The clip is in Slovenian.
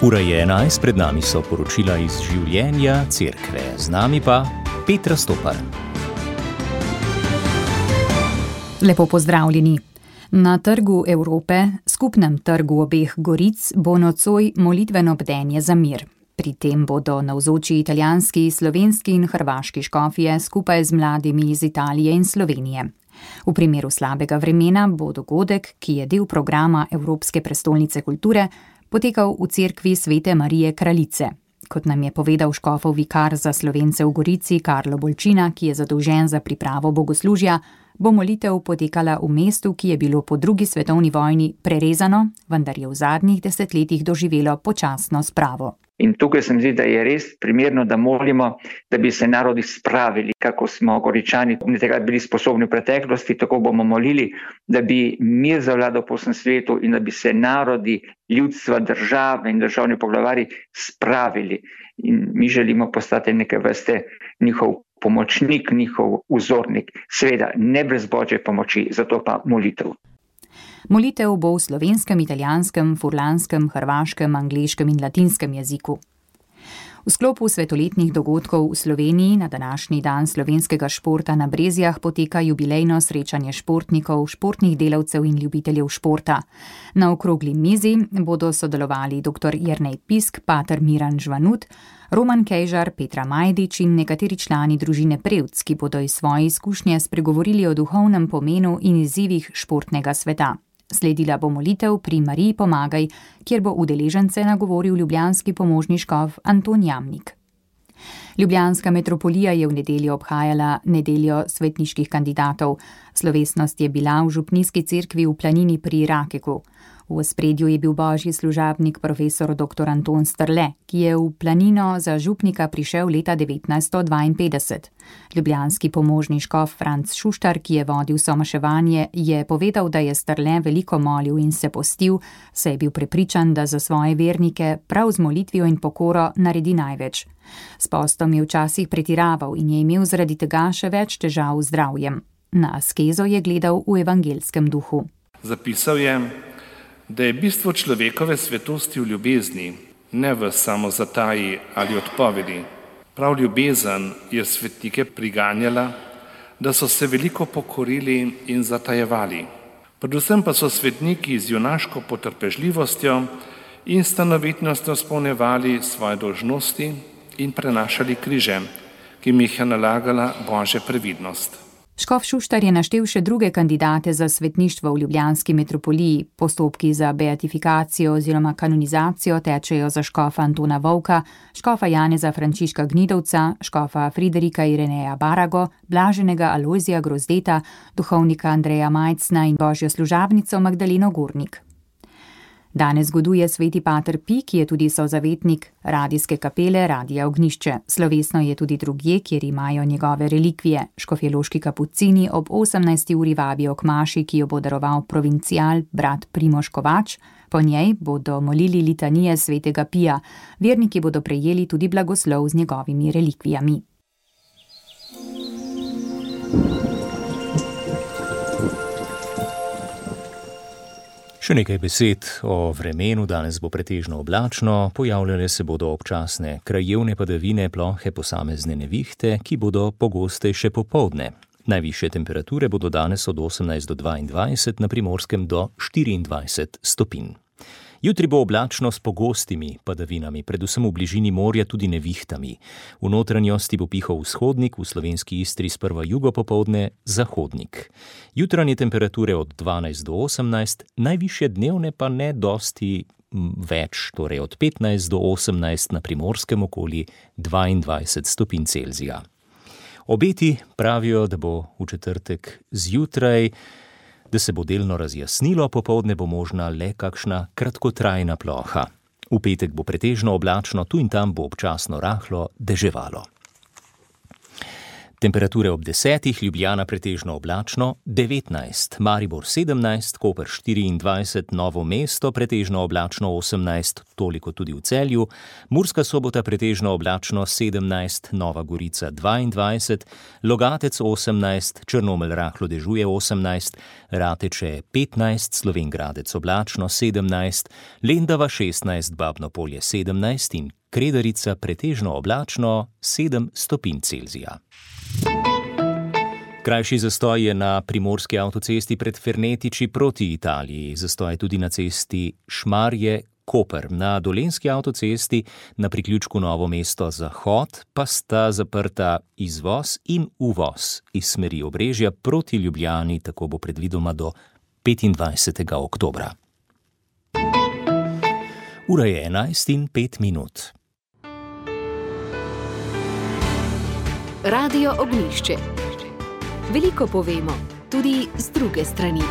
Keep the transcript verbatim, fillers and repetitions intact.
Ura je enajst, pred nami so poročila iz življenja cerkve, z nami pa Petra Stopar. Lepo pozdravljeni. Na Trgu Evrope, skupnem trgu obeh Goric, bo nocoj molitveno bdenje za mir. Pri tem bodo navzoči italijanski, slovenski in hrvaški škofje skupaj z mladimi iz Italije in Slovenije. V primeru slabega vremena bo dogodek, ki je del programa Evropske prestolnice kulture, potekal v cerkvi Svete Marije Kraljice. Kot nam je povedal škofov vikar za Slovence v Gorici Karlo Bolčina, ki je zadolžen za pripravo bogoslužja, bo molitev potekala v mestu, ki je bilo po drugi svetovni vojni prerezano, vendar je v zadnjih desetletjih doživelo počasno spravo. In tukaj se mi zdi, da je res primerno, da molimo, da bi se narodi spravili, kako smo Goričani takrat bili sposobni v preteklosti, tako bomo molili, da bi mir zavladal po vsem svetu in da bi se narodi, ljudstva, države in državni poglavari spravili. In mi želimo postati neke vrste njihov pomočnik, njihov vzornik, seveda ne brez Božje pomoči, zato pa molitev. Molitev bo v slovenskem, italijanskem, furlanskem, hrvaškem, angleškem in latinskem jeziku. V sklopu svetoletnih dogodkov v Sloveniji na današnji dan slovenskega športa na Brezjah poteka jubilejno srečanje športnikov, športnih delavcev in ljubiteljev športa. Na okrogli mizi bodo sodelovali dr. Jernej Pisk, pater Miran Žvanut, Roman Kejžar, Petra Majdič in nekateri člani družine Prevc, ki bodo iz svoje izkušnje spregovorili o duhovnem pomenu in izzivih športnega sveta. Sledila bo molitev pri Mariji Pomagaj, kjer bo udeležence nagovoril ljubljanski pomožni škof Anton Jamnik. Ljubljanska metropolija je v nedeljo obhajala nedeljo svetniških kandidatov. Slovesnost je bila v župnijski cerkvi v Planini pri Rakeku. V ospredju je bil božji služabnik profesor dr. Anton Strle, ki je v Planino za župnika prišel leta devetnajststo dvainpetdeset. Ljubljanski pomožni škof Franc Šuštar, ki je vodil somaševanje, je povedal, da je Strle veliko molil in se postil, saj je bil prepričan, da za svoje vernike prav z molitvijo in pokoro naredi največ. S postom je včasih pretiraval in je imel zaradi tega še več težav z zdravjem. Na askezo je gledal v evangelskem duhu. Zapisal je, da je bistvo človekove svetosti v ljubezni, ne v samozataji ali odpovedi. Prav ljubezen je svetnike priganjala, da so se veliko pokorili in zatajevali. Predvsem pa so svetniki z junaško potrpežljivostjo in stanovitnostjo izpolnjevali svoje dolžnosti in prenašali križe, ki jim jih je nalagala Božja previdnost. Škof Šuštar je naštel še druge kandidate za svetništvo v ljubljanski metropoliji. Postopki za beatifikacijo oziroma kanonizacijo tečejo za škofa Antona Vovka, škofa Janeza Frančiška Gnidovca, škofa Friderika Ireneja Barago, blaženega Alojzija Grozdeta, duhovnika Andreja Majcna in božjo služabnico Magdaleno Gornik. Danes goduje sveti pater Pi, ki je tudi sozavetnik radijske kapele Radija Ognjišče. Slovesno je tudi drugje, kjer imajo njegove relikvije. Škofjeloški kapucini ob osemnajsti uri vabijo k maši, ki jo bo daroval provincial brat Primož Kovač. Po njej bodo molili litanije svetega Pija. Verniki bodo prejeli tudi blagoslov z njegovimi relikvijami. Še nekaj besed o vremenu. Danes bo pretežno oblačno, pojavljale se bodo občasne krajevne padavine, plohe posamezne nevihte, ki bodo pogostejše popoldne. Najvišje temperature bodo danes od osemnajst do dvaindvajset, na Primorskem do štiriindvajset stopinj. Jutri bo oblačno s pogostimi padavinami, predvsem v bližini morja tudi nevihtami. V notranjosti bo pihal vzhodnik, v slovenski Istri sprva jugo popoldne zahodnik. Jutranje temperature od dvanajst do osemnajst, najvišje dnevne pa ne dosti več, torej od petnajst do osemnajst, na Primorskem okoli dvaindvajset stopinj Celzija. Obeti pravijo, da bo v četrtek zjutraj, da se bo delno razjasnilo, popoldne bo možna le kakšna kratkotrajna ploha. V petek bo pretežno oblačno, tu in tam bo občasno rahlo deževalo. Temperature ob desetih, Ljubljana pretežno oblačno, devetnajst, Maribor sedemnajst, Koper štiriindvajset, Novo mesto pretežno oblačno osemnajst, toliko tudi v Celju, Murska Sobota pretežno oblačno sedemnajst, Nova Gorica dvaindvajset, Logatec osemnajst, Črnomelj rahlo dežuje osemnajst, Rateče petnajst, Slovenj Gradec oblačno sedemnajst, Lendava šestnajst, Babno Polje sedemnajst in Kredarica pretežno oblačno sedem stopinj Celzija. Krajši zastoj je na primorski avtocesti pred Fernetiči proti Italiji. Zastoj je tudi na cesti Šmarje-Koper. Na dolenjski avtocesti na priključku Novo mesto Zahod pa sta zaprta izvoz in uvoz iz smeri Obrežja proti Ljubljani, tako bo predvidoma do petindvajsetega oktobra. Ura je enajst in pet minut. Radio Ognjišče. Veliko povemo, tudi z druge strani.